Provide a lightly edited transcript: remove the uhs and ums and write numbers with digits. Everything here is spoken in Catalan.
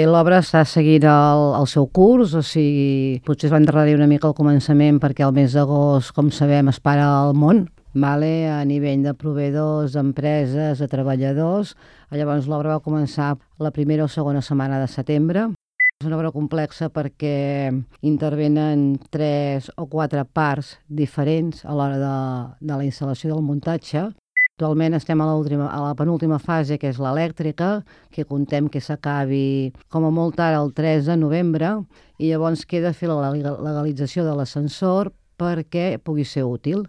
L'obra està seguint el seu curs, o sigui, potser es va endarrerir una mica al començament perquè el mes d'agost, com sabem, es para el món, vale? A nivell de proveïdors, d'empreses, de treballadors. Llavors l'obra va començar la primera o segona setmana de setembre. És una obra complexa perquè intervenen 3 o 4 parts diferents a l'hora de la instal·lació i del muntatge. Actualment estem a la penúltima fase, que és l'elèctrica, que contem que s'acabi com a molt tard el 3 de novembre, i llavors queda fer la legalització de l'ascensor perquè pugui ser útil.